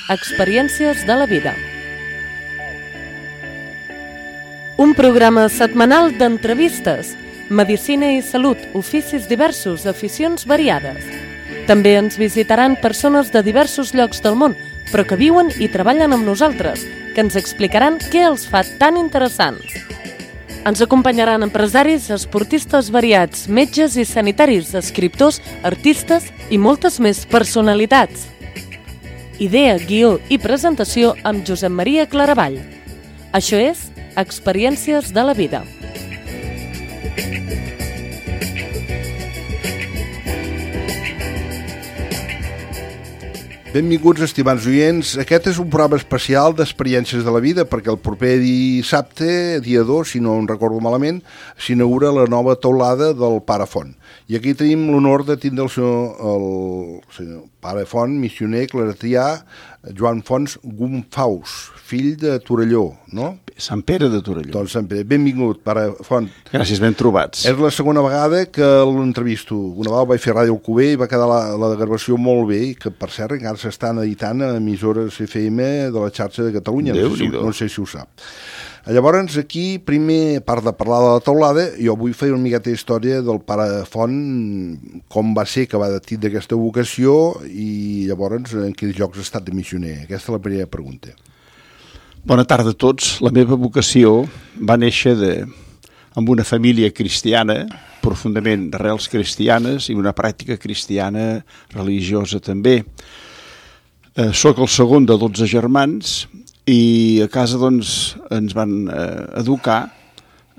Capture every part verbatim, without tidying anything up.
Experiències de la vida. Un programa setmanal d'entrevistes, medicina i salut, oficis diversos, aficions variades. També ens visitaran persones de diversos llocs del món, però que viuen i treballen amb nosaltres, que ens explicaran què els fa tan interessants. Ens acompanyaran empresaris, esportistes variats, metges i sanitaris, escriptors, artistes i moltes més personalitats. Idea, guió i presentació amb Josep Maria Claravall. Això és Experiències de la vida. Benvinguts, estimats oients. Aquest és un programa especial d'Experiències de la vida perquè el proper dissabte, dia dos, si no em recordo malament, s'inaugura la nova teulada del Pare Font. I aquí tenim l'honor de tindre el senyor, el senyor Pare Font, missioner claretià, Joan Fons Gumfaus, fill de Torelló, no? Sant Pere de Torelló. Doncs Sant Pere. Benvingut, Pare Font. Gràcies, ben trobats. És la segona vegada que l'entrevisto. Una vegada vaig fer Ràdio Alcover i va quedar la, la gravació molt bé, i que per cert encara s'estan editant a emissores F M de la xarxa de Catalunya. No sé, si, no sé si ho sap. Llavors, aquí, primer, a part de parlar de la teulada, jo vull fer una miqueta història del Pare Font, com va ser que va tindre aquesta vocació i llavors en quins llocs ha estat de missioner. Aquesta és la primera pregunta. Bona tarda a tots. La meva vocació va néixer de, amb una família cristiana, profundament d'arrels cristianes i una pràctica cristiana religiosa també. Eh, soc el segon de dotze germans i a casa doncs, ens van eh, educar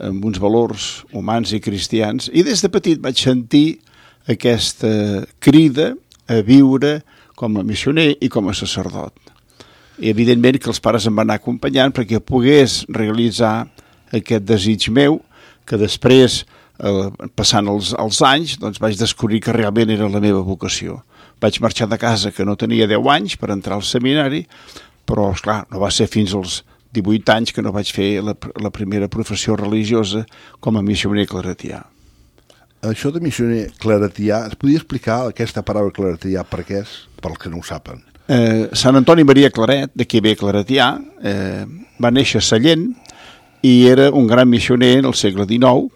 amb uns valors humans i cristians i des de petit vaig sentir aquesta crida a viure com a missioner i com a sacerdot. I evidentment que els pares em van anar acompanyant perquè pogués realitzar aquest desig meu, que després, eh, passant els, els anys, doncs vaig descobrir que realment era la meva vocació. Vaig marxar de casa que no tenia deu anys per entrar al seminari, però, esclar, no va ser fins als divuit anys que no vaig fer la, la primera professió religiosa com a missioner claretià. Això de missioner claretià, es podia explicar aquesta paraula claretià per què és, pels que no ho saben? Eh, Sant Antoni Maria Claret, d'aquí ve claretià, eh, va néixer a Sallent i era un gran missioner en el segle dinou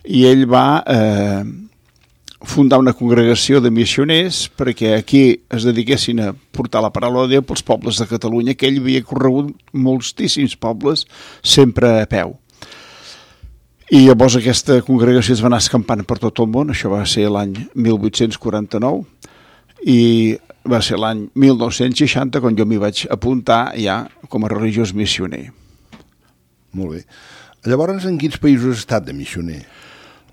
i ell va eh, fundar una congregació de missioners perquè aquí es dediquessin a portar la paraula de Déu pels pobles de Catalunya, que ell havia corregut moltíssims pobles sempre a peu. I llavors aquesta congregació es va anar escampant per tot el món. Això va ser l'any mil vuit-cents quaranta-nou i va ser l'any mil nou-cents seixanta quan jo m'hi vaig apuntar ja com a religiós missioner. Molt bé. Llavors, en quins països has estat de missioner?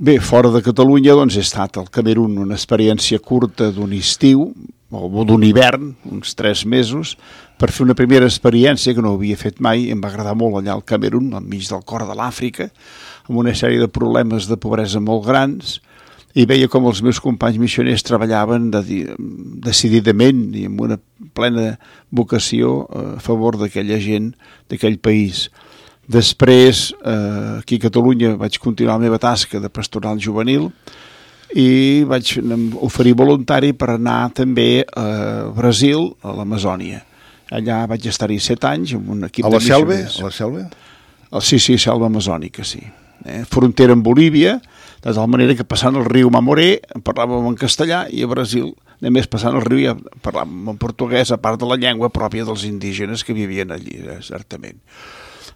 Bé, fora de Catalunya doncs he estat al Camerun, una experiència curta d'un estiu o d'un hivern, uns tres mesos, per fer una primera experiència que no havia fet mai. Em va agradar molt allà al Camerun, al mig del cor de l'Àfrica, amb una sèrie de problemes de pobresa molt grans, i veia com els meus companys missioners treballaven de, decididament i amb una plena vocació a favor d'aquella gent, d'aquell país. Després, eh, aquí a Catalunya, vaig continuar la meva tasca de pastoral juvenil i vaig oferir voluntari per anar també a Brasil, a l'Amazònia. Allà vaig estar-hi set anys amb un equip a la de selva? missioners. A la selva? Sí, sí, selva amazònica, sí. Eh, frontera amb Bolívia, de tal manera que passant el riu Mamoré parlàvem en castellà i a Brasil, només passant el riu ja parlàvem en portuguès, a part de la llengua pròpia dels indígenes que vivien allí, eh, certament.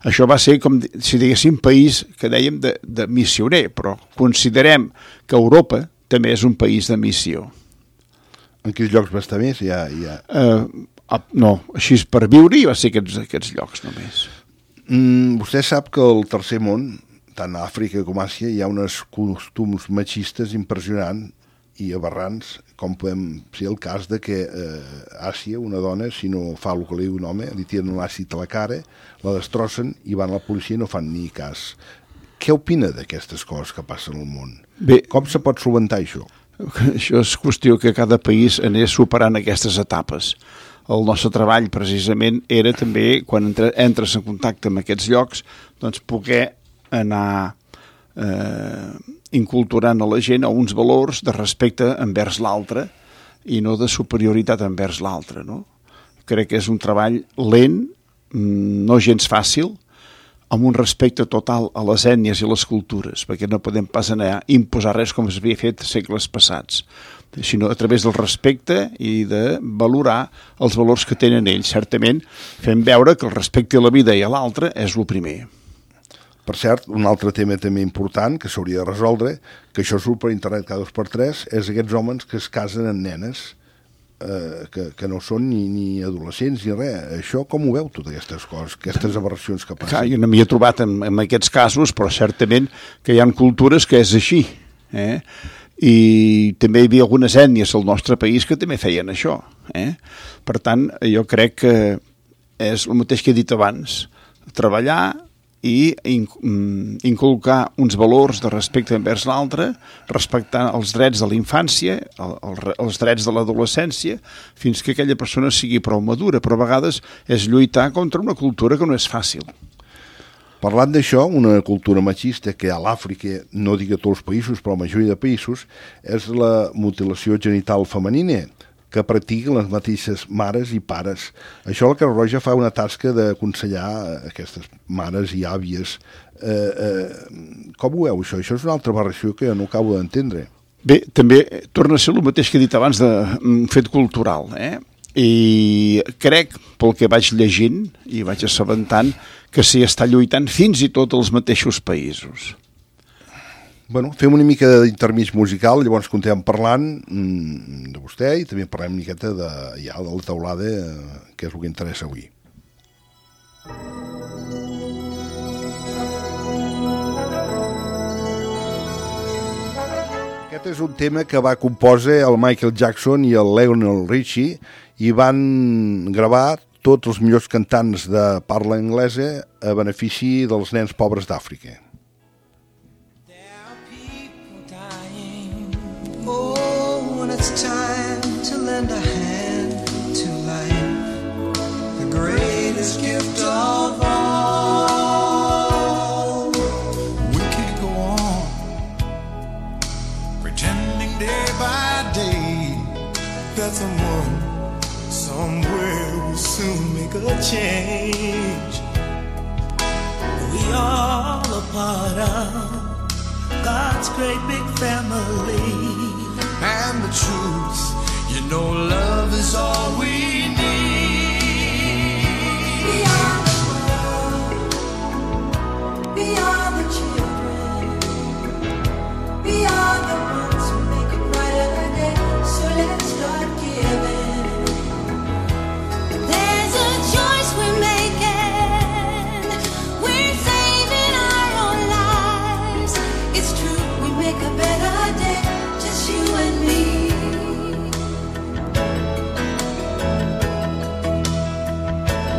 Això va ser com si diguéssim país que dèiem de, de missioner, però considerem que Europa també és un país de missió. En quins llocs va estar més? Ja, ja... Uh, no, així per viure va ser aquests, aquests llocs només. Mm, vostè sap que al tercer món, tant a Àfrica com a Àsia, hi ha uns costums machistes impressionants i aberrants, com podem ser el cas de que eh, Àsia, una dona, si no fa el que li diu un home, li tiren un àcid a la cara, la destrossen i van a la policia i no fan ni cas. Què opina d'aquestes coses que passen al món? Bé, com se pot solucionar això? Això és qüestió que cada país anés superant aquestes etapes. El nostre treball, precisament, era també, quan entres en contacte amb aquests llocs, doncs poder anar eh, inculturant a la gent a uns valors de respecte envers l'altre i no de superioritat envers l'altre, no? crec que és un treball lent, no gens fàcil, amb un respecte total a les ètnies i les cultures, perquè no podem pas anar a imposar res com s'havia fet segles passats, sinó a través del respecte i de valorar els valors que tenen ells. Certament fem veure que el respecte a la vida i a l'altre és el primer. Per cert, un altre tema també important que s'hauria de resoldre, que això surt per internet cada dos per tres, és aquests homes que es casen amb nenes eh, que, que no són ni, ni adolescents ni res. Això com ho veu, totes aquestes coses, aquestes aberracions que passen? Clar, jo no m'hi he trobat en, en aquests casos, però certament que hi ha cultures que és així, eh? I també hi havia algunes ètnies al nostre país que també feien això, eh? Per tant, jo crec que és el mateix que he dit abans, treballar i inculcar uns valors de respecte envers l'altre, respectar els drets de la infància, el, el, els drets de l'adolescència, fins que aquella persona sigui prou madura, però a vegades és lluitar contra una cultura que no és fàcil. Parlant d'això, una cultura machista que a l'Àfrica, no dic a tots els països, però a la majoria de països, és la mutilació genital femenina, que practiquen les mateixes mares i pares. Això la Creu Roja fa una tasca d'aconsellar aquestes mares i àvies. Eh, eh, com ho veu, això? Això és una altra aberració que no acabo d'entendre. Bé, també torna a ser el mateix que he dit abans de un fet cultural, eh? I crec, pel que vaig llegint i vaig assabentant, que s'hi està lluitant fins i tot als mateixos països. Bueno, fem una mica d'intermig musical, llavors continuem parlant mm, de vostè i també parlem una miqueta de, ja, de la teulada, eh, que és el que interessa avui. Aquest és un tema que va compondre el Michael Jackson i el Lionel Richie i van gravar tots els millors cantants de parla anglesa a benefici dels nens pobres d'Àfrica. It's time to lend a hand to life, the greatest gift of all. We could go on pretending day by day that someone somewhere will soon make a change. We all a part of God's great big family. And the truth, you know, love is all we need. Beyond the world, beyond the children, beyond the ones who make a brighter day. So let's start giving. There's a choice we're making. We're saving our own lives. It's true, we make a better day. You and me.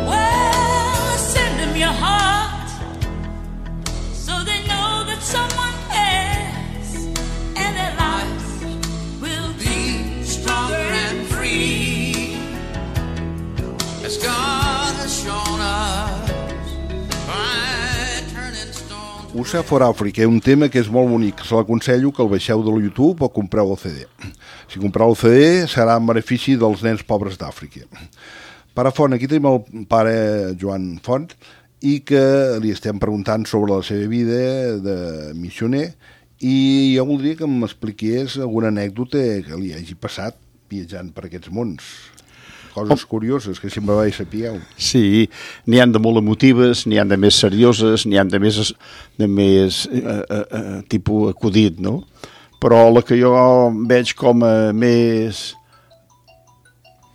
Well, send them your heart so they know that someone cares and their lives will be stronger and free as God has shown us by turning stones. U S A for Africa, un tema que és molt bonic. Se l'aconsello que el baixeu de YouTube o compreu el C D. Si compreu el C D serà en benefici dels nens pobres d'Àfrica. Pare Font, aquí tenim el pare Joan Font i que li estem preguntant sobre la seva vida de missioner i jo voldria que m'expliqués alguna anècdota que li hagi passat viatjant per aquests mons. Coses curioses que sempre vaig sapigueu. Sí, n'hi han de molt emotives, n'hi han de més serioses, n'hi han de més, de més eh, eh, tipus acudit, no? Però la que jo veig com a més,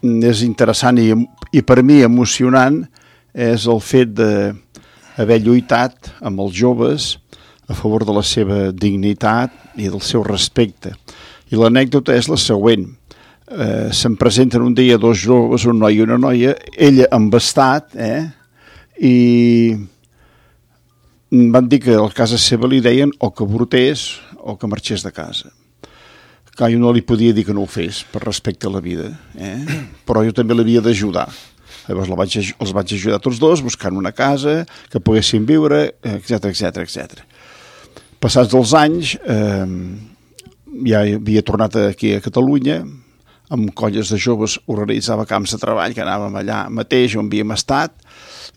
més interessant i, i per mi emocionant és el fet d'haver lluitat amb els joves a favor de la seva dignitat i del seu respecte. I l'anècdota és la següent. Eh, se'm presenten un dia dos joves, un noi i una noia, ella embastat, eh? I van dir que a casa seva li deien o que avortés o que marxés de casa. Clar, jo no li podia dir que no ho fes per respecte a la vida, eh? Però jo també l'havia d'ajudar. Llavors la vaig, els vaig ajudar tots dos buscant una casa que poguessin viure, etcètera, etcètera, etcètera. Passats els anys, eh, ja havia tornat aquí a Catalunya amb colles de joves, organitzava camps de treball, que anàvem allà mateix on havíem estat,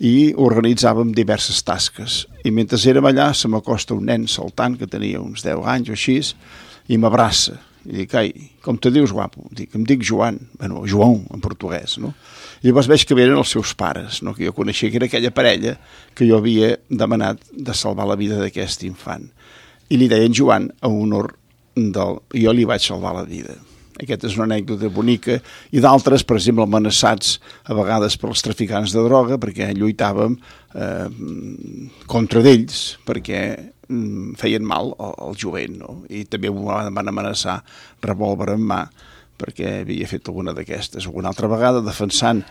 i organitzàvem diverses tasques. I mentre érem allà se m'acosta un nen saltant, que tenia uns deu anys o així, i m'abraça. I dic, ai, com te dius, guapo? Dic, em dic Joan, bueno, João, en portuguès, no? I llavors veig que eren els seus pares, no? Que jo coneixia que era aquella parella que jo havia demanat de salvar la vida d'aquest infant. I li deien Joan a honor del... Jo li vaig salvar la vida. Aquesta és una anècdota bonica, i d'altres, per exemple, amenaçats a vegades pels traficants de droga, perquè lluitàvem eh, contra d'ells, perquè mm, feien mal al, al jovent, no? I també van amenaçar revòlver en mà, perquè havia fet alguna d'aquestes. Una altra vegada defensant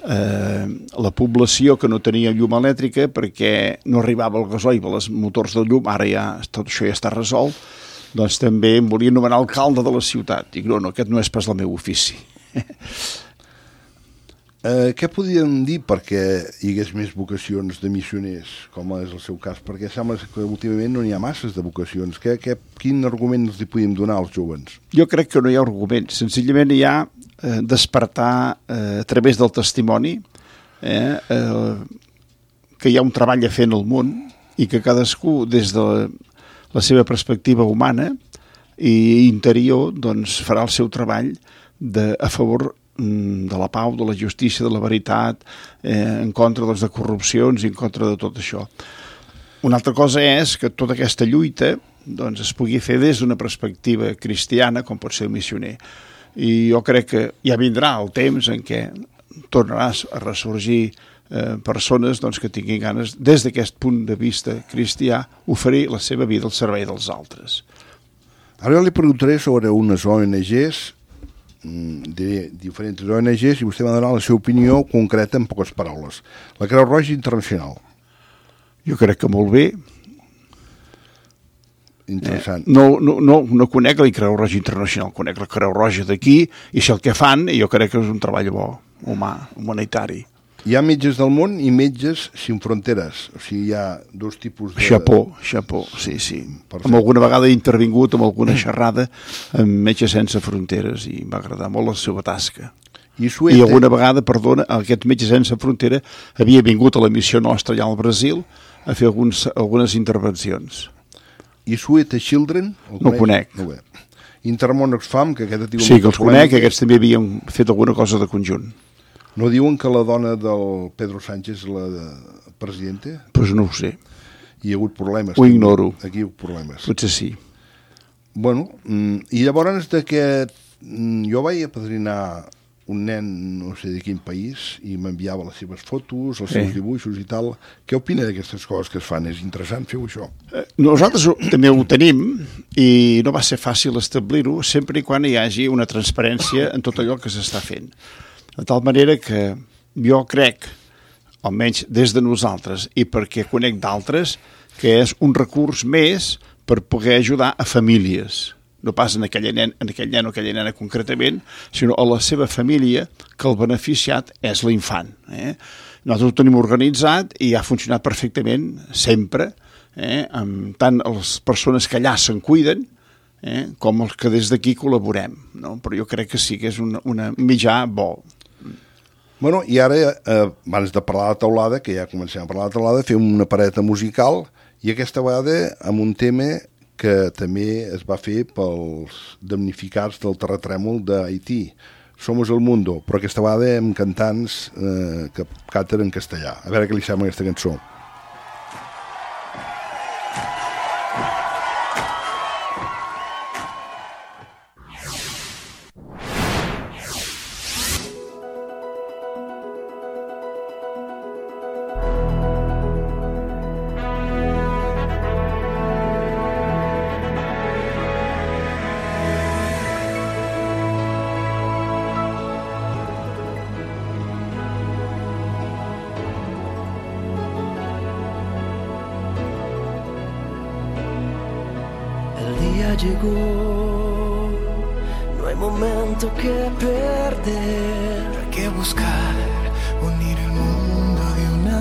eh, la població que no tenia llum elèctrica perquè no arribava el gasoil als motors de llum, ara ja tot això ja està resolt, doncs també em volia nomenar alcalde de la ciutat. Dic, no, no, aquest no és pas el meu ofici. eh, què podríem dir perquè hi hagués més vocacions de missioners, com és el seu cas? Perquè sembla que últimament no n'hi ha masses de vocacions. Que, que, quin argument els hi podíem donar als joves? Jo crec que no hi ha arguments. Senzillament hi ha eh, despertar eh, a través del testimoni eh, eh, que hi ha un treball a fer en el món i que cadascú, des de la, la seva perspectiva humana i interior, doncs farà el seu treball de, a favor de la pau, de la justícia, de la veritat, eh, en contra doncs, de corrupcions i en contra de tot això. Una altra cosa és que tota aquesta lluita doncs, es pugui fer des d'una perspectiva cristiana, com pot ser el missioner. I jo crec que ja vindrà el temps en què tornaràs a ressorgir eh, persones doncs, que tinguin ganes, des d'aquest punt de vista cristià, oferir la seva vida al servei dels altres. Ara jo li preguntaré sobre unes O N Ges, de diferents O N Ges, i vostè va donar la seva opinió concreta en poques paraules. La Creu Roja Internacional. Jo crec que molt bé. Interessant. Eh, no, no, no, no conec la Creu Roja Internacional, conec la Creu Roja d'aquí, i si el que fan, jo crec que és un treball bo, humà, humanitari. Hi ha metges del món i metges sin fronteres. O sigui, hi ha dos tipus de... Xapó, xapó, sí, sí. Amb alguna vegada he intervingut amb alguna xerrada amb Metges Sense Fronteres i m'ha agradat molt la seva tasca. I, Suete... I alguna vegada, perdona, aquest Metges Sense Frontera havia vingut a la missió nostra allà al Brasil a fer alguns, algunes intervencions. I Suete Children? No conec. No bé. Intermón Oxfam, que aquest... Sí, que els conec, que aquests també havien fet alguna cosa de conjunt. No diuen que la dona del Pedro Sánchez és la de presidenta? Doncs pues no ho sé. Hi ha hagut problemes. Ho ignoro. Aquí hi ha hagut problemes. Potser sí. Bueno, i llavors d'aquest... Jo vaig apadrinar un nen, no sé de quin país, i m'enviava les seves fotos, els seus dibuixos i tal. Què opina d'aquestes coses que es fan? És interessant fer-ho, això? Nosaltres també ho tenim i no va ser fàcil establir-ho sempre i quan hi hagi una transparència en tot allò que s'està fent. De tal manera que jo crec, almenys des de nosaltres i perquè conec d'altres, que és un recurs més per poder ajudar a famílies. No pas en aquell nen, en aquell nen o aquella nena concretament, sinó a la seva família, que el beneficiat és l'infant. Eh? Nosaltres ho tenim organitzat i ha funcionat perfectament, sempre, eh? Amb tant les persones que allà se'n cuiden, eh? com els que des d'aquí col·laborem. No? Però jo crec que sí que és un una mitjà bo. Bueno, i ara, eh, abans de parlar de taulada, que ja comencem a parlar de taulada, fem una pareta musical, i aquesta vegada amb un tema que també es va fer pels damnificats del terratrèmol d'Haití. Somos el mundo, però aquesta vegada amb cantants eh, que canten en castellà. A veure què li sembla aquesta cançó. Llegó, no hay momento que perder, no hay que buscar unir el mundo de una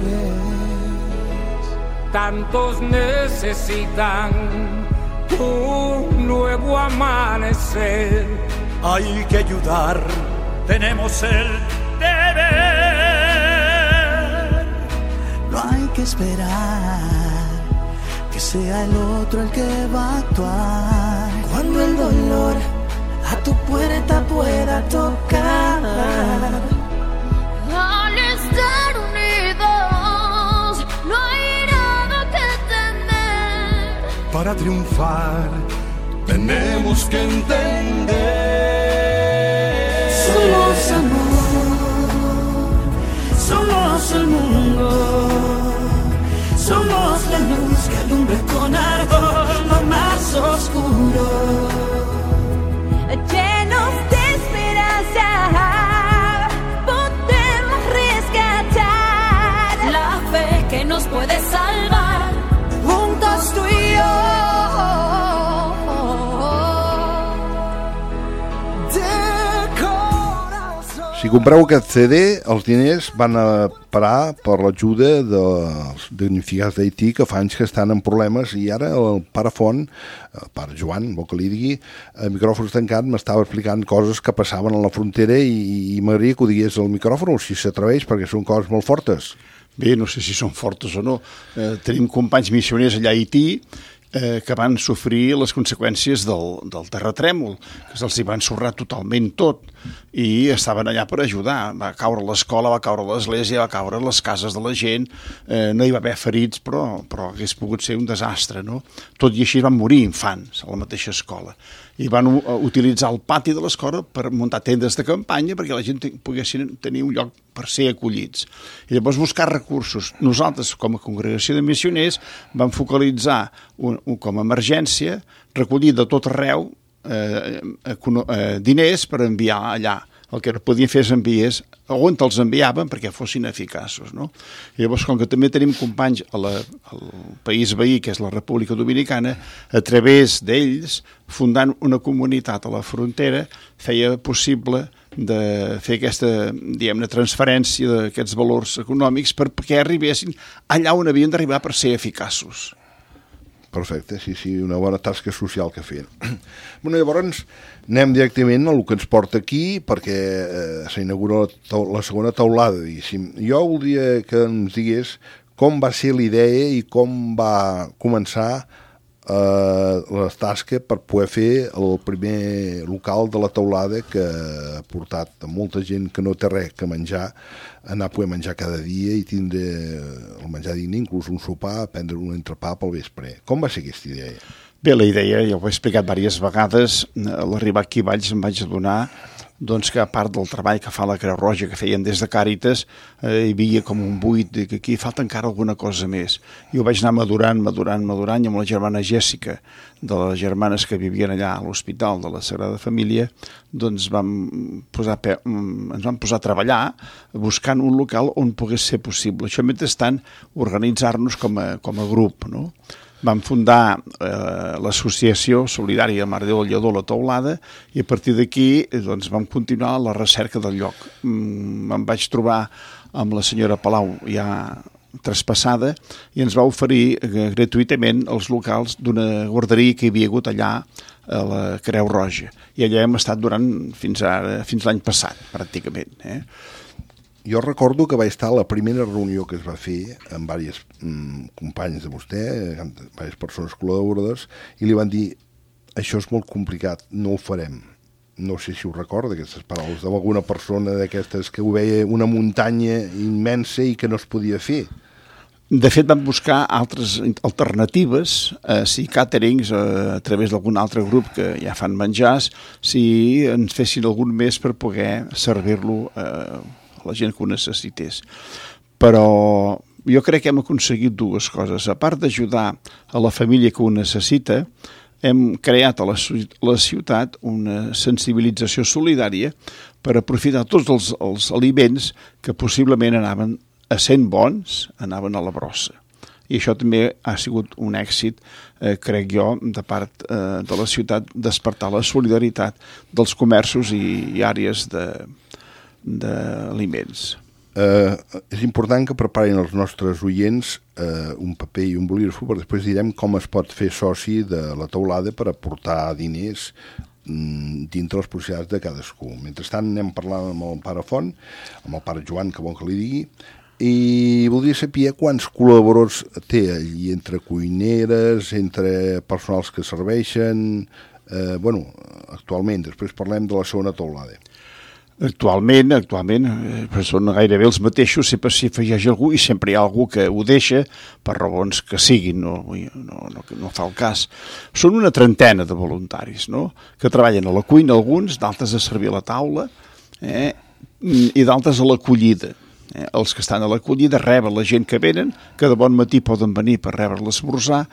vez. Tantos necesitan un nuevo amanecer, hay que ayudar, tenemos el deber. No hay que esperar que sea el otro el que va a actuar. Cuando el dolor a tu puerta pueda tocar, al estar unidos no hay nada que temer. Para triunfar tenemos que entender. somos amor, somos el mundo, somos la luz que alumbra con ardor lo más oscuro. Llenos de esperanza, podemos rescatar la fe que nos puede salvar, juntos tú y yo. Si compreu aquest C D, els diners van a parar per l'ajuda dels damnificats d'Haití, que fa anys que estan en problemes, i ara el pare Font, el pare Joan, vol que li digui, a micròfons tancat, m'estava explicant coses que passaven a la frontera i, i m'agradaria que ho digués al micròfon, si s'atreveix, perquè són coses molt fortes. Bé, no sé si són fortes o no. Eh, tenim companys missioners allà a Haití eh, que van sofrir les conseqüències del, del terratrèmol, que se'ls hi va ensorrar totalment tot, i estaven allà per ajudar. Va caure l'escola, va caure l'església, va caure les cases de la gent, eh, no hi va haver ferits, però, però hagués pogut ser un desastre, no? Tot i així van morir infants a la mateixa escola. I van utilitzar el pati de l'escola per muntar tendes de campanya perquè la gent poguessin tenir un lloc per ser acollits. I llavors buscar recursos. Nosaltres, com a congregació de missioners, vam focalitzar un, un, com a emergència, recollir de tot arreu eh, eh, diners per enviar allà. El que podien fer és envies on els enviaven perquè fossin eficaços, no? I llavors, com que també tenim companys a la, al país veí, que és la República Dominicana, a través d'ells, fundant una comunitat a la frontera, feia possible de fer aquesta, diguem-ne, transferència d'aquests valors econòmics perquè arribessin allà on havien d'arribar per ser eficaços. Perfecte, sí, sí, una bona tasca social que feien. Bueno, llavors anem directament a el que ens porta aquí, perquè eh, s'inaugura la, la segona taulada, diguéssim. Jo voldria que ens digués com va ser la idea i com va començar eh, la tasca per poder fer el primer local de la taulada, que ha portat a molta gent que no té res que menjar, anar a poder menjar cada dia i tindre el menjar digne, inclús un sopar, prendre un entrepà pel vespre. Com va ser aquesta idea? Bé, la idea, ja ho he explicat diverses vegades, a l'arribar aquí a Valls em vaig adonar doncs, que a part del treball que fa la Creu Roja, que feien des de Càritas, eh, hi havia com un buit, que aquí falta encara alguna cosa més. I ho vaig anar madurant, madurant, madurant, i amb la germana Jèssica, de les germanes que vivien allà a l'Hospital de la Sagrada Família, doncs vam posar, ens vam posar a treballar buscant un local on pogués ser possible. Això mentrestant organitzar-nos com a, com a grup, no? Vam fundar eh, l'associació solidària Mare Déu del Lledó, la Taulada, i a partir d'aquí doncs, vam continuar la recerca del lloc. Mm, em vaig trobar amb la senyora Palau ja traspassada i ens va oferir eh, gratuïtament els locals d'una guarderia que hi havia hagut allà a la Creu Roja. I allà hem estat durant fins, ara, fins l'any passat, pràcticament, eh? Jo recordo que va estar a la primera reunió que es va fer amb diversos mm, companys de vostè, amb diverses persones col·laboradores, i li van dir, això és molt complicat, no ho farem. No sé si ho recorda, aquestes paraules d'alguna persona d'aquestes que ho veia una muntanya immensa i que no es podia fer. De fet, vam buscar altres alternatives, eh, si càterings, eh, a través d'algun altre grup que ja fan menjars, si ens fessin algun més per poder servir-lo eh, la gent que ho necessités. Però jo crec que hem aconseguit dues coses. A part d'ajudar a la família que ho necessita, hem creat a la, la ciutat una sensibilització solidària per aprofitar tots els, els aliments que possiblement anaven a sent bons, anaven a la brossa. I això també ha sigut un èxit, eh, crec jo, de part eh, de la ciutat, despertar la solidaritat dels comerços i, i àrees de d'aliments. Eh, és important que preparin els nostres oients eh, un paper i un bolígraf, perquè després direm com es pot fer soci de la taulada per aportar diners dintre les possibilitats de cadascú. Mentrestant anem parlant amb el pare Font, amb el pare Joan, que vol que li digui, i voldria saber quants col·laboradors té allí, entre cuineres, entre personals que serveixen, eh, bueno, actualment, després parlem de la segona teulada. Actualment, actualment, eh, són gairebé els mateixos, sempre s'hi afegeix algú i sempre hi ha algú que ho deixa per raons que siguin, no, no, no, no fa el cas. Són una trentena de voluntaris, no?, que treballen a la cuina, alguns, d'altres a servir a la taula, eh, i d'altres a l'acollida. Eh, els que estan a l'acollida reben la gent que venen, que de bon matí poden venir per rebre l'esmorzar,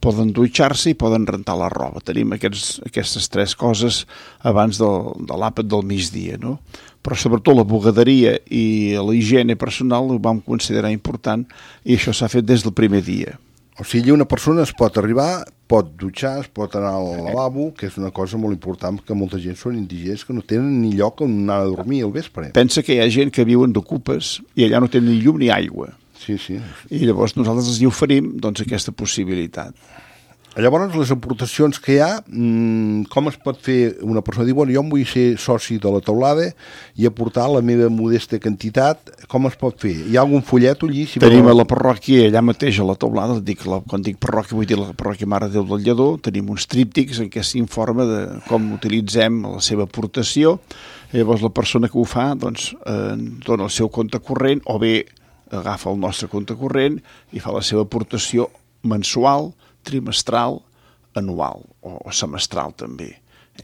poden dutxar-se i poden rentar la roba. Tenim aquests, aquestes tres coses abans del, de l'àpat del migdia, no? Però sobretot la bugaderia i la higiene personal ho vam considerar important i això s'ha fet des del primer dia. O sigui, una persona es pot arribar, pot dutxar, es pot anar al lavabo, que és una cosa molt important, que molta gent són indigents que no tenen ni lloc on anar a dormir al vespre. Pensa que hi ha gent que viuen d'ocupes i allà no tenen ni llum ni aigua. Sí, sí. I llavors nosaltres els hi oferim doncs, aquesta possibilitat. Llavors, les aportacions que hi ha, com es pot fer una persona? Diu, bueno, jo em vull ser soci de la teulada i aportar la meva modesta quantitat, com es pot fer? Hi ha algun follet allí? Si tenim a la parròquia, allà mateix a la teulada, dic, la, quan dic parròquia vull dir la parròquia Mare de Déu del Lledó, tenim uns tríptics en què s'informa de com utilitzem la seva aportació, i llavors la persona que ho fa doncs, eh, dona el seu compte corrent, o bé agafa el nostre compte corrent i fa la seva aportació mensual, trimestral, anual o, o semestral també.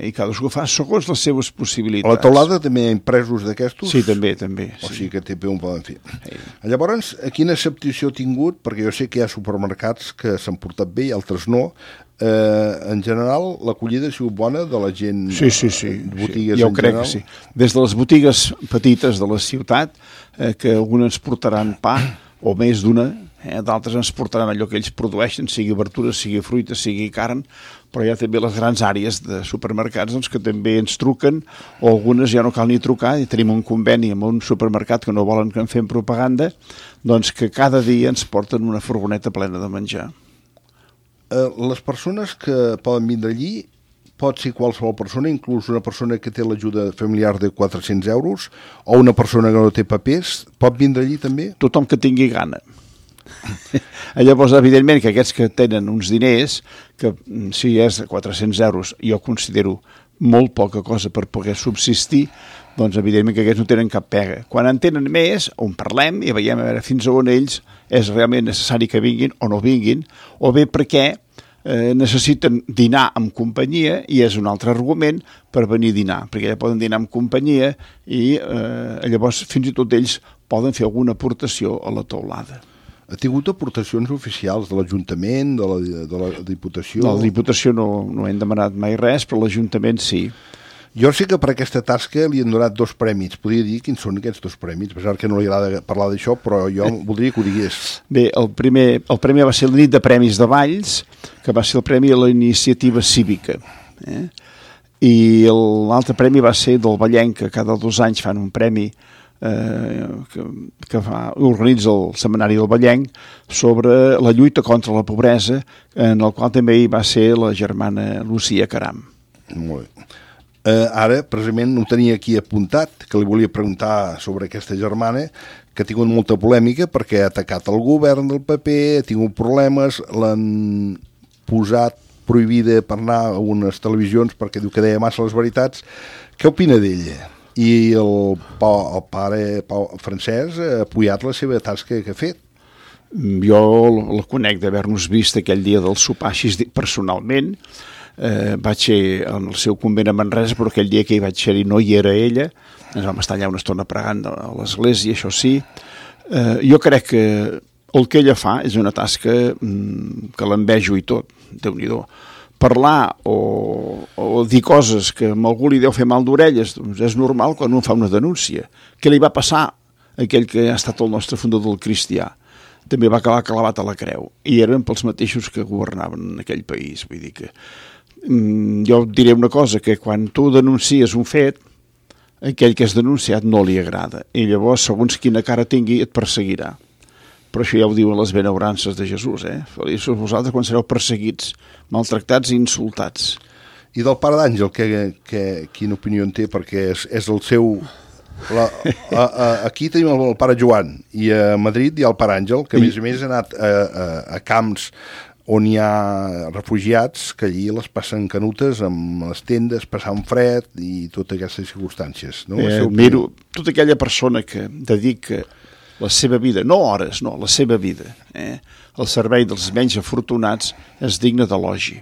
I cadascú fa segons les seves possibilitats. A la teulada també hi ha impresos d'aquestos? Sí, també, també. O sí. sigui que també ho poden fer. Sí. Llavors, quina acceptació ha tingut? Perquè jo sé que hi ha supermercats que s'han portat bé i altres no. Eh, en general, l'acollida ha sigut bona de la gent? Sí, sí, sí. Botigues sí. Jo en crec general? que sí. Des de les botigues petites de la ciutat, eh, que algunes portaran pa, o més d'una, eh, d'altres ens portaran allò que ells produeixen, sigui verdures, sigui fruita, sigui carn, però hi ha també les grans àrees de supermercats doncs, que també ens truquen, o algunes ja no cal ni trucar, i tenim un conveni amb un supermercat que no volen que en fem propaganda, doncs que cada dia ens porten una furgoneta plena de menjar. Eh, les persones que poden vindre allí, pot ser qualsevol persona, inclús una persona que té l'ajuda familiar de quatre-cents euros, o una persona que no té papers, pot vindre allí també? Tothom que tingui gana. Llavors, evidentment, que aquests que tenen uns diners, que si és quatre-cents euros, jo considero molt poca cosa per poder subsistir, doncs evidentment que aquests no tenen cap pega. Quan en tenen més, on parlem i veiem a veure fins a on ells és realment necessari que vinguin o no vinguin, o bé perquè eh, necessiten dinar amb companyia, i és un altre argument per venir a dinar, perquè ja poden dinar amb companyia i eh, llavors fins i tot ells poden fer alguna aportació a la teulada. Ha tingut aportacions oficials de l'Ajuntament, de la, de la Diputació? No, la Diputació no, no hem demanat mai res, però l'Ajuntament sí. Jo sé que per aquesta tasca li han donat dos prèmits. Podria dir quins són aquests dos prèmits? A pesar que no li agrada parlar d'això, però jo voldria que ho digués. Bé, el primer, el premi va ser la nit de premis de Valls, que va ser el premi a la iniciativa cívica. Eh? I l'altre premi va ser del Vallenc, que cada dos anys fan un premi eh, que, que fa, organitza el Setmanari del Vallenc sobre la lluita contra la pobresa, en el qual també hi va ser la germana Lucía Caram. Molt bé. Uh, ara, precisament, ho tenia aquí apuntat, que li volia preguntar sobre aquesta germana, que ha tingut molta polèmica perquè ha atacat el govern del P P, ha tingut problemes, l'han posat prohibida per anar a unes televisions perquè diu que deia massa les veritats. Què opina d'ella? I el, el pare Pau Francesc ha apoyat la seva tasca que ha fet. Jo la conec d'haver-nos vist aquell dia del sopar així personalment. Eh, vaig ser en el seu convent a Manresa, però aquell dia que hi vaig ser-hi no hi era ella, ens vam estar allà una estona pregant a l'església, això sí. Eh, jo crec que el que ella fa és una tasca mm, que l'envejo i tot, Déu-n'hi-do. Parlar o, o dir coses que a algú li deu fer mal d'orelles, doncs és normal quan un fa una denúncia. Què li va passar a aquell que ha estat el nostre fundador del cristià? També va acabar clavat a la creu, i eren pels mateixos que governaven en aquell país, vull dir que jo diré una cosa, que quan tu denuncies un fet, aquell que has denunciat no li agrada, i llavors segons quina cara tingui et perseguirà. Però això ja ho diuen les benaurances de Jesús, eh? Feliços vosaltres quan sereu perseguits, maltractats i insultats. I del Pare d'Àngel, que, que, quina opinió en té? Perquè és, és el seu... La, a, a, aquí tenim el, el Pare Joan, i a Madrid hi ha el Pare Àngel, que a més a més ha anat a, a, a camps on hi ha refugiats, que allí les passen canutes amb les tendes, passant fred i totes aquestes circumstàncies. No? Eh, miro, tota aquella persona que dedica la seva vida, no hores, no, la seva vida, eh, al servei dels menys afortunats, és digne d'elogi.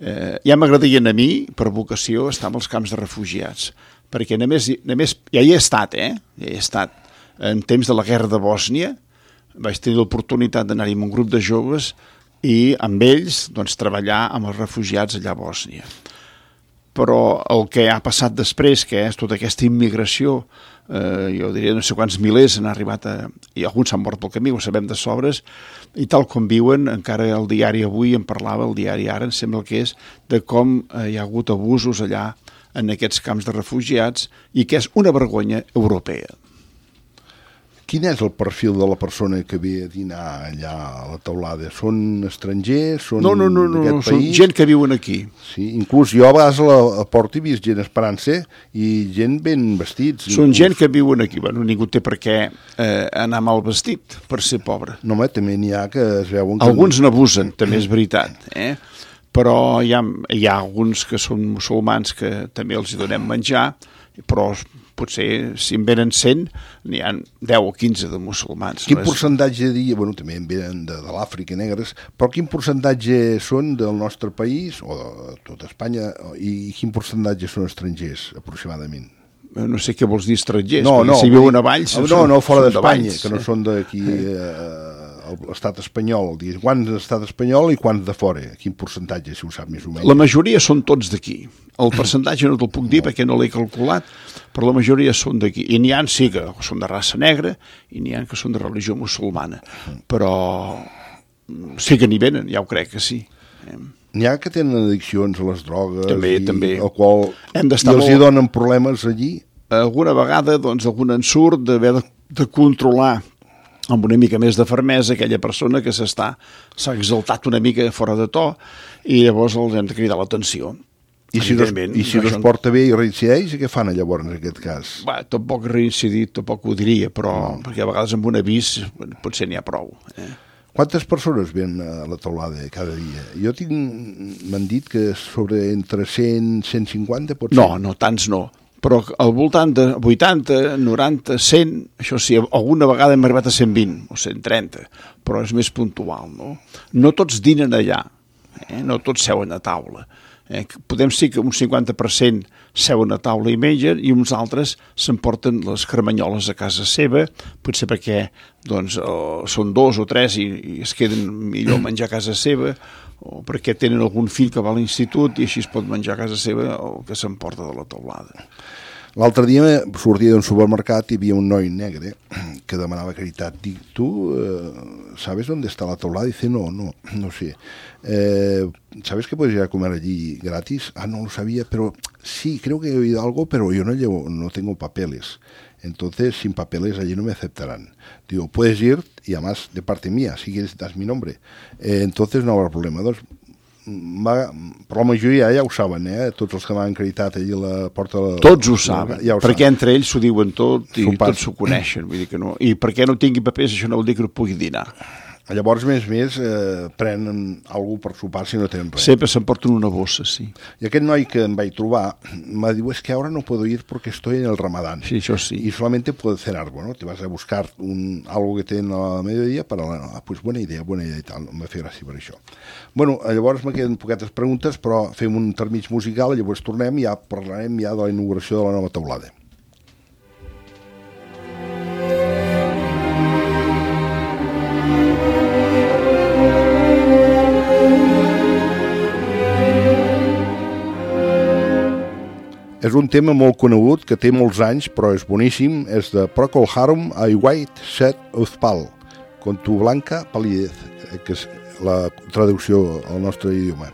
Eh, ja m'agradaria a mi, per vocació, estar als camps de refugiats, perquè només, només ja hi he estat, eh? Ja hi he estat. En temps de la guerra de Bòsnia vaig tenir l'oportunitat d'anar-hi amb un grup de joves i amb ells doncs, treballar amb els refugiats allà a Bòsnia. Però el que ha passat després, que és tota aquesta immigració, eh, jo diria no sé quants milers han arribat a... i alguns s'han mort pel camí, ho sabem de sobres, i tal com viuen, encara el diari avui en parlava, el diari Ara, em sembla que és, de com eh, hi ha hagut abusos allà en aquests camps de refugiats i que és una vergonya europea. Quin és el perfil de la persona que ve a dinar allà a la teulada? Són estrangers? Són no, no, no, no, no són gent que viuen aquí. Sí, inclús jo a vegades a la a porta he vist gent esperant-se i gent ben vestits. Són inclús. Gent que viuen aquí. Bueno, ningú té per què eh, anar mal vestit per ser pobre. No, home, també n'hi ha que es veuen... Que... Alguns n'abusen, també és veritat, eh? Però hi ha, hi ha alguns que són musulmans que també els hi donem menjar, però potser si en venen cent n'hi ha deu o quinze de musulmans. Quin percentatge diria, bueno, també en venen de, de l'Àfrica negres, però quin percentatge són del nostre país o de tota Espanya i quin percentatge són estrangers aproximadament? No sé què vols dir estrangers, no, no, si viuen a Valls... No, no, no fora d'Espanya, que no són d'aquí... Eh, l'estat espanyol, quants de l'estat espanyol i quants de fora, quin percentatge, si ho sap més o menys. La majoria són tots d'aquí. El percentatge no te'l puc dir perquè no l'he calculat, però la majoria són d'aquí. I n'hi ha sí que són de raça negra i n'hi ha que són de religió musulmana, però sí que n'hi venen, ja ho crec que sí. N'hi ha que tenen addiccions a les drogues també, i també. alcohol i els molt... hi donen problemes allí? Alguna vegada, doncs, algun ensurt d'haver de, de controlar amb una mica més de fermesa aquella persona que s'està s'ha exaltat una mica fora de to i llavors els hem de cridar l'atenció. I si no, i si no es porta bé i reincideix, què fan llavors en aquest cas? Va, tampoc reincidit, tampoc ho diria, però no. Perquè a vegades amb un avís potser n'hi ha prou. Eh? Quantes persones ven a la teulada cada dia? Jo tinc, m'han dit que sobre entre cent i cent cinquanta pot ser. No, no, tants no. Però al voltant de vuitanta, noranta, cent, això sí, alguna vegada hem arribat a cent vint o cent trenta, però és més puntual, no? No tots dinen allà, eh? No tots seuen a taula. Eh? Podem dir que un cinquanta per cent seuen a taula i mengen i uns altres s'emporten les carmanyoles a casa seva, potser perquè doncs, oh, són dos o tres i, i es queden millor menjar a casa seva, o perquè tenen algun fill que va a l'institut i així es pot menjar a casa seva el que s'emporta de la teulada. L'altre dia sortia d'un supermercat i hi havia un noi negre que demanava caritat. Dic, tu eh, sabes dónde está la teulada? Dice, no, no, no sé. Eh, ¿Sabes que puedes ir a comer allí gratis? Ah, no lo sabía, pero sí, creo que he oído algo, pero yo no llevo, no tengo papeles. Entonces, sin papeles allí no me aceptarán. Digo, puedes ir, y además de parte mía, si quieres das mi nombre. Eh, entonces no habrá problema. Doncs, va, però la majoria ja ho saben, eh? Tots els que m'han acreditat allí a la porta... De la... Tots ho saben, ja ho perquè saben. Entre ells s'ho diuen tot i tots s'ho coneixen. Vull dir que no. I perquè no tingui papers això no vol dir que no pugui dinar. Llavors, més més, eh, prenen alguna per sopar si no tenen res. Sempre s'emporten una bossa, sí. I aquest noi que em vaig trobar me diu, es que ara no puedo ir porque estoy en el Ramadán. Sí, això sí. Y solamente puedo cenar, bueno, te vas a buscar un, algo que tenen a mediodía para la... Ah, pues buena idea, buena idea i tal, em va fer gràcia per això. Bueno, llavors me queden poquetes preguntes, però fem un termig musical, llavors tornem i ja parlarem ja de la inauguració de la nova teulada. És un tema molt conegut, que té molts anys, però és boníssim. És de Procol Harum, I White Set of Pal, con tu blanca palidez, que és la traducció al nostre idioma.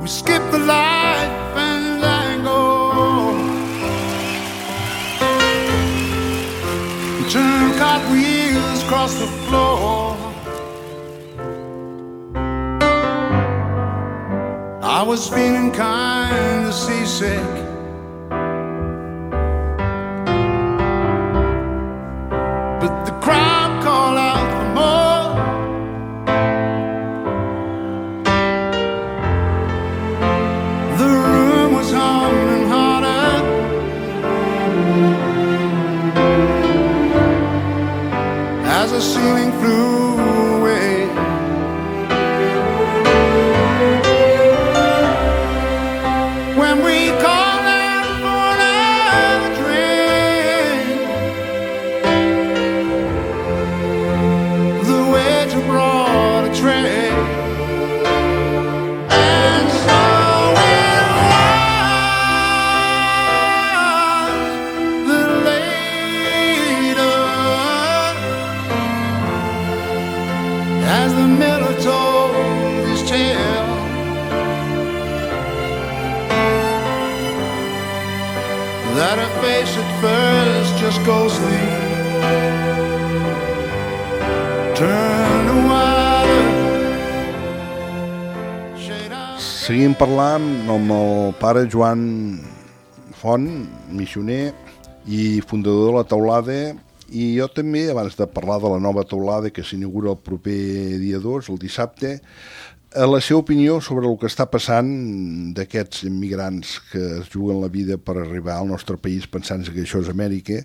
We skip the life and tango, turn cartwheels across the floor. I was feeling kind of seasick, but the crowd called out for more. The room was humming harder, as the ceiling flew away. When we called out for another drink, the waiter brought a tray, and so it was that later, as the miller told his tale, that her face at first just ghostly turned to water. Seguim parlant amb el pare Joan Font, missioner i fundador de la Teulada, i jo també, abans de parlar de la nova Teulada que s'inaugura el proper dia dos, el dissabte, la seva opinió sobre el que està passant d'aquests immigrants que es juguen la vida per arribar al nostre país pensant que això és Amèrica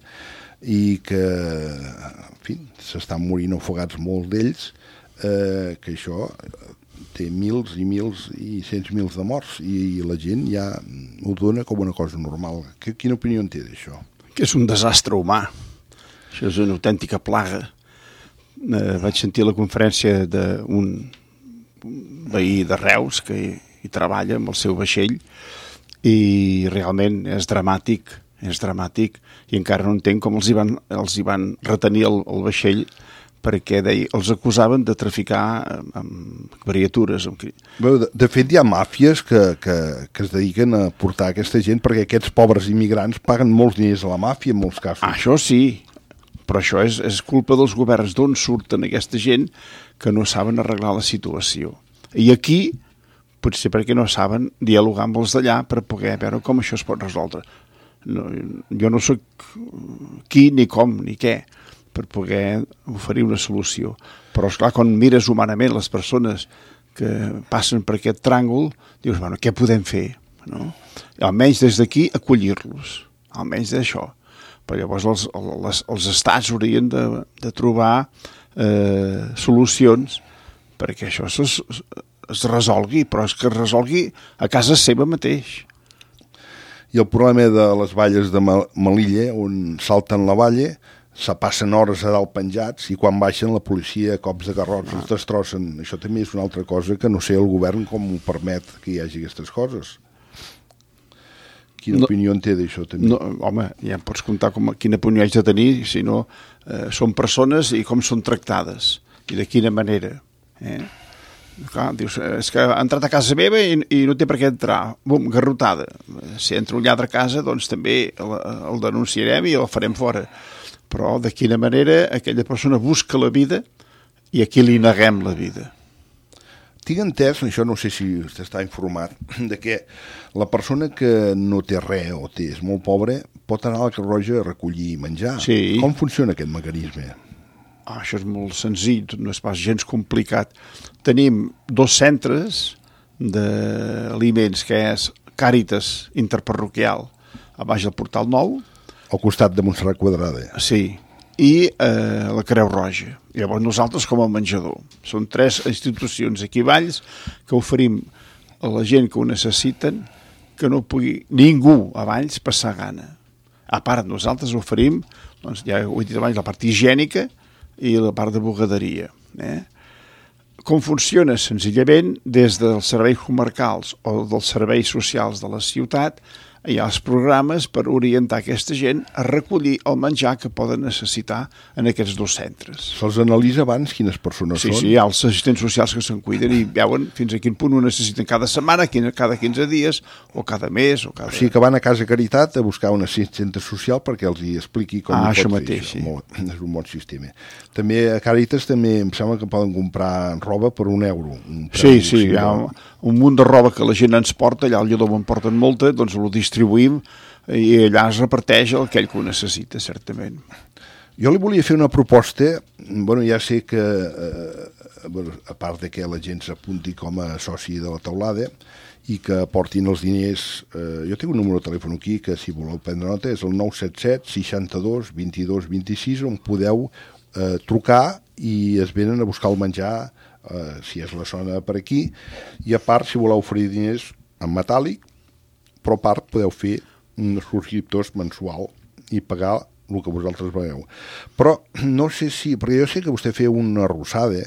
i que, en fi, s'estan morint ofegats molts d'ells, eh, que això té mils i mils i cents mils de morts i la gent ja ho dona com una cosa normal. Quina opinió en té d'això? Que és un desastre humà. Això és una autèntica plaga. Eh, vaig sentir la conferència d'un veí de Reus que hi treballa amb el seu vaixell i realment és dramàtic, és dramàtic i encara no entenc com els hi van, els hi van retenir el, el vaixell perquè deia, els acusaven de traficar amb criatures. Amb... De, de fet, hi ha màfies que, que, que es dediquen a portar aquesta gent perquè aquests pobres immigrants paguen molts diners a la màfia en molts casos. Ah, això sí, però això és, és culpa dels governs d'on surten aquesta gent que no saben arreglar la situació. I aquí, potser perquè no saben dialogar amb els d'allà per poder veure com això es pot resoldre. No, jo no sóc qui, ni com, ni què, per poder oferir una solució. Però, esclar, quan mires humanament les persones que passen per aquest tràngol, dius, bueno, què podem fer? No? Almenys des d'aquí acollir-los, almenys d'això. Però llavors els, els, els estats haurien de, de trobar eh, solucions perquè això es, es resolgui, però és que es resolgui a casa seva mateix. I el problema de les valles de Melilla, on salten la valla, se passen hores a dalt penjats i quan baixen la policia a cops de garrots ah. els destrossen. Això també és una altra cosa que no sé el govern com ho permet que hi hagi aquestes coses. Quina no, opinió en té d'això també? No, home, ja em pots contar com, quina opinió haig de tenir, si no eh, són persones i com són tractades i de quina manera. Eh? Clar, dius, és que ha entrat a casa meva i, i no té per què entrar. Bum, garrotada. Si entra un lladre a casa, doncs també el, el denunciarem i el farem fora. Però de quina manera aquella persona busca la vida i aquí li neguem la vida. Tinc entès, això no sé si vostè està informat, de que la persona que no té res o té, és molt pobra, pot anar a la Creu Roja a recollir menjar. Sí. Com funciona aquest mecanisme? Ah, això és molt senzill, no és pas gens complicat. Tenim dos centres d'aliments, que és Càritas Interparroquial, a baix del Portal Nou. Al costat de Montserrat Quadrada. Sí. I eh, la Creu Roja. Llavors nosaltres com a menjador. Són tres institucions aquí Valls que oferim a la gent que ho necessiten que no pugui ningú a Valls passar gana. A part, nosaltres oferim, doncs, ja ho he dit abans, la part higiènica i la part de bugaderia. Eh? Com funciona? Senzillament, des dels serveis comarcals o dels serveis socials de la ciutat hi ha els programes per orientar aquesta gent a recollir el menjar que poden necessitar en aquests dos centres. Se'ls analitza abans quines persones sí, són? Sí, hi ha els assistents socials que se'n cuiden i veuen fins a quin punt ho necessiten cada setmana, cada quinze dies, o cada mes, o cada... O sigui que van a Casa Caritat a buscar un assistent social perquè els hi expliqui com ah, ho pot això fer. Mateix, sí. Molt, és un bon sistema. També a Càritas també em sembla que poden comprar roba per un euro. Un sí, sí, hi ha un, un munt de roba que la gent ens porta, allà al Lledó en porten molta, doncs ho distribuïm i allà es reparteix aquell que ho necessita, certament. Jo li volia fer una proposta, bueno, ja sé que, eh, bueno, a part de que la gent s'apunti com a soci de la teulada i que aportin els diners, eh, jo tinc un número de telèfon aquí que si voleu prendre nota és el nou set set seixanta-dos vint-i-dos vint-i-sis on podeu eh, trucar i es venen a buscar el menjar eh, si és la zona per aquí i a part si voleu oferir diners en metàl·lic, però a part podeu fer uns subscriptors mensual i pagar el que vosaltres veieu. Però no sé si, perquè jo sé que vostè feia una arrossada,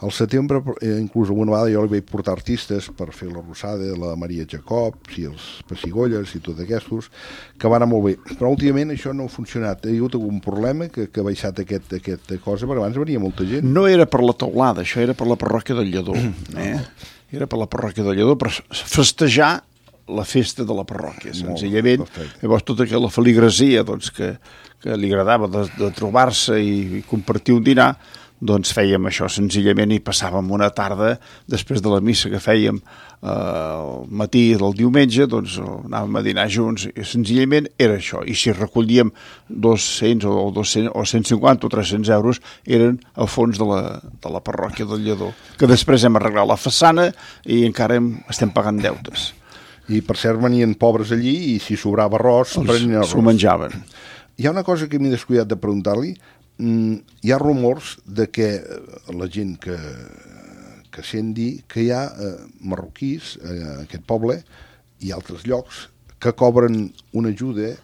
al setembre, eh, inclús alguna vegada jo li vaig portar artistes per fer l'arrossada, la Maria Jacob, i els Pessigolles i tot aquests, que van anar molt bé. Però últimament això no ha funcionat. Hi ha hagut algun problema que, que ha baixat aquest, aquesta cosa, perquè abans venia molta gent. No era per la teulada, això era per la parròquia del Lledó. Eh? Era per la parròquia del Lledó, per festejar la festa de la parròquia, senzillament. Llavors, tota aquella feligresia doncs, que, que li agradava de, de trobar-se i, i compartir un dinar, doncs fèiem això senzillament i passàvem una tarda, després de la missa que fèiem eh, al matí del diumenge, doncs anàvem a dinar junts i senzillament era això. I si recollíem dos-cents o dos-cents o cent cinquanta o tres-cents euros eren al fons de la, de la parròquia del Lledó, que després hem arreglat la façana i encara hem, estem pagant deutes. I per cert venien pobres allí i si sobrava arròs prenien arròs. S'ho menjaven. Hi ha una cosa que m'he descuidat de preguntar-li. Mm, hi ha rumors de que la gent que, que sent dir que hi ha eh, marroquís a eh, aquest poble i altres llocs que cobren una ajuda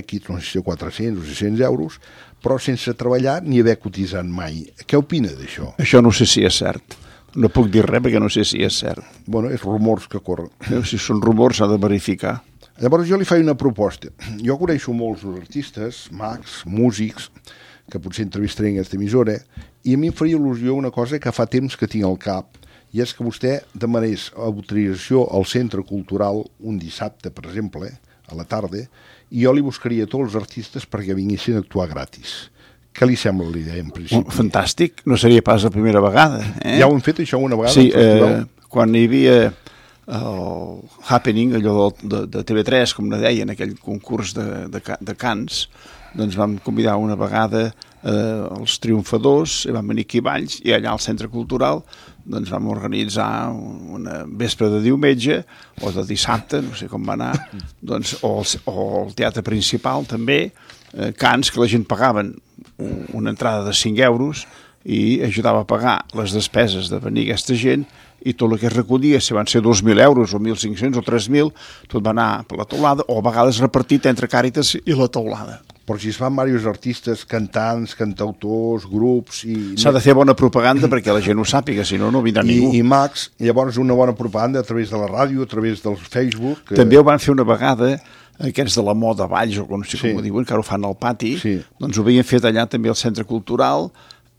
X, no sé si quatre-cents o sis-cents euros, però sense treballar ni haver cotitzat mai. Què opina d'això? Això no sé si és cert. No puc dir res perquè no sé si és cert. Bueno, és rumors que corren. Si són rumors s'ha de verificar. Llavors jo li faig una proposta. Jo coneixo molts artistes, mags, músics, que potser entrevistaré en aquesta emissora, i a mi em faria il·lusió una cosa que fa temps que tinc al cap, i és que vostè demanés autorització al Centre Cultural un dissabte, per exemple, a la tarda, i jo li buscaria tots els artistes perquè vinguessin a actuar gratis. Què li sembla l'idea, en principi? Oh, fantàstic, no seria pas la primera vegada. Eh? Ja ho hem fet, això, una vegada? Sí, eh, quan hi havia el Happening, allò de, de T V tres, com ne deien, aquell concurs de, de, de cants, doncs vam convidar una vegada eh, els triomfadors, i vam venir aquí a Valls, i allà al Centre Cultural doncs vam organitzar una vespre de diumenge, o de dissabte, no sé com va anar, doncs, o, el, o el teatre principal també, eh, cants que la gent pagaven una entrada de cinc euros i ajudava a pagar les despeses de venir aquesta gent i tot el que es recollia, si van ser dos mil euros o mil cinc-cents o tres mil, tot va anar per la teulada o a vegades repartit entre Càritas i la teulada. Però si es fan diversos artistes, cantants, cantautors, grups... i s'ha de fer bona propaganda perquè la gent ho sàpiga, si no, no vindrà I, ningú. I mags, llavors una bona propaganda a través de la ràdio, a través del Facebook... Que... També ho van fer una vegada aquests de la moda Valls, o no sé com sí. ho diuen, que ara ho fan al pati, sí. doncs ho havien fet allà també al Centre Cultural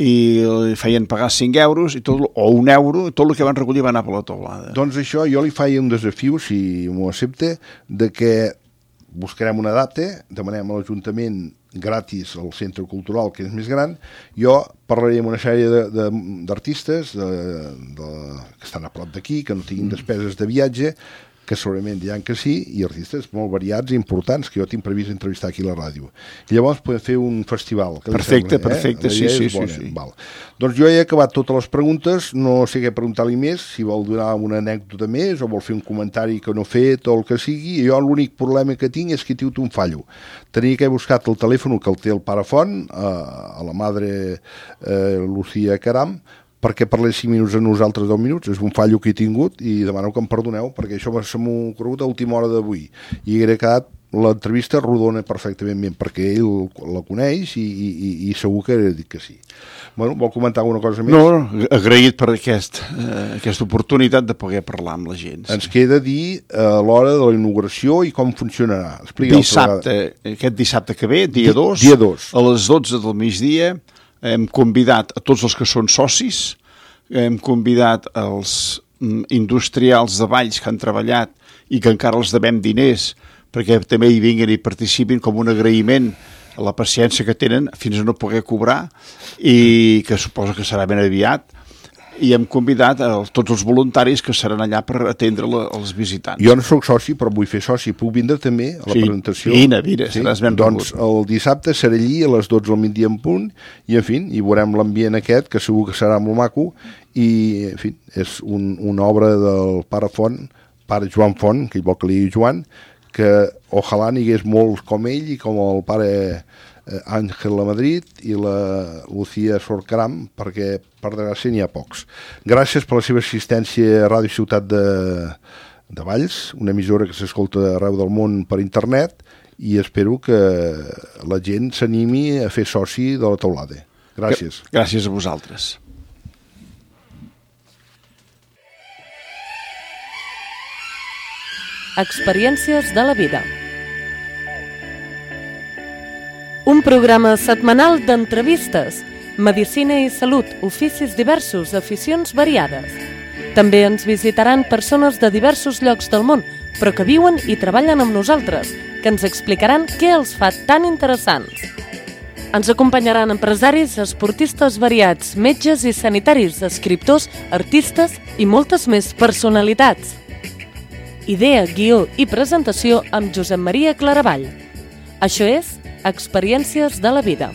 i feien pagar cinc euros i tot, o un euro, i tot el que van recollir va anar per la teulada. Doncs això jo li faig un desafiu, si m'ho accepta, de que buscarem una data, demanem a l'Ajuntament gratis al Centre Cultural, que és més gran, jo parlaré amb una sèrie d'artistes de, de, de, que estan a prop d'aquí, que no tinguin despeses de viatge, que segurament diran que sí, i artistes molt variats i importants, que jo tinc previst entrevistar aquí a la ràdio. I llavors podem fer un festival. Perfecte, sembla, perfecte, eh? sí, sí, sí, sí. Val. Doncs jo he acabat totes les preguntes, no sé què preguntar-li més, si vol donar una anècdota més o vol fer un comentari que no he fet o el que sigui, i jo l'únic problema que tinc és que tinc un fallo. Tenia que he buscat el telèfon que el té el pare Font, a, a la madre eh, Lucía Caram, perquè parlés cinc minuts a nosaltres deu minuts, és un fallo que he tingut i demano que em perdoneu perquè això se m'ha corregut a última hora d'avui i hagué quedat l'entrevista rodona perfectament bé, perquè ell la coneix i, i, i segur que ha dit que sí. Bueno, vol comentar alguna cosa més? No, agraït per aquest, eh, aquesta oportunitat de poder parlar amb la gent. Sí. Ens queda dir a eh, l'hora de la inauguració i com funcionarà. Explica dissabte, aquest dissabte que ve, dia dos, dia dos, a les dotze del migdia, hem convidat a tots els que són socis, hem convidat els industrials de Valls que han treballat i que encara els devem diners perquè també hi vinguin i participin com un agraïment a la paciència que tenen fins a no poder cobrar i que suposo que serà ben aviat, i hem convidat a tots els voluntaris que seran allà per atendre la, els visitants. Jo no soc soci, però vull fer soci. Puc vindre també a la sí, presentació? Vine, vine, sí? seràs ben Doncs rebut. El dissabte serà allí a les dotze del migdia en punt i, en fi, hi veurem l'ambient aquest, que segur que serà molt maco, i, en fi, és un, una obra del pare Font, pare Joan Font, que ell vol que li digui Joan, que ojalà n'hi hagués molts com ell i com el pare eh, Àngel La Madrid i la Lucía Sorcaram, perquè per desgràcia n'hi ha pocs. Gràcies per la seva assistència a Ràdio Ciutat de, de Valls, una emissora que s'escolta arreu del món per internet, i espero que la gent s'animi a fer soci de la teulada. Gràcies. Gràcies a vosaltres. Experiències de la vida. Un programa setmanal d'entrevistes, medicina i salut, oficis diversos, aficions variades. També ens visitaran persones de diversos llocs del món, però que viuen i treballen amb nosaltres, que ens explicaran què els fa tan interessants. Ens acompanyaran empresaris, esportistes variats, metges i sanitaris, escriptors, artistes i moltes més personalitats. Idea, guió i presentació amb Josep Maria Claravall. Això és Experiències de la vida.